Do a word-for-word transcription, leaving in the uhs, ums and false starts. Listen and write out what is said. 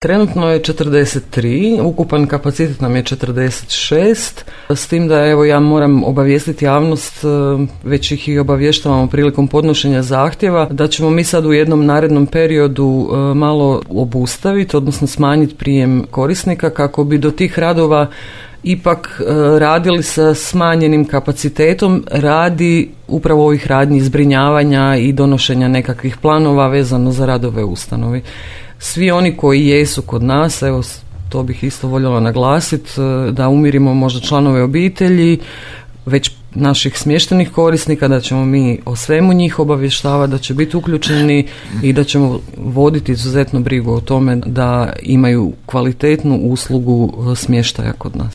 Trenutno je četrdeset tri, ukupan kapacitet nam je četrdeset šest, s tim da evo ja moram obavijestiti javnost, već ih i obavještavamo prilikom podnošenja zahtjeva, da ćemo mi sad u jednom narednom periodu malo obustaviti, odnosno smanjiti prijem korisnika kako bi do tih radova ipak radili sa smanjenim kapacitetom radi upravo ovih radnji zbrinjavanja i donošenja nekakvih planova vezano za radove u ustanovi. Svi oni koji jesu kod nas, evo to bih isto voljela naglasiti, da umirimo možda članove obitelji, već naših smještenih korisnika, da ćemo mi o svemu njih obavještavati, da će biti uključeni i da ćemo voditi izuzetno brigu o tome da imaju kvalitetnu uslugu smještaja kod nas.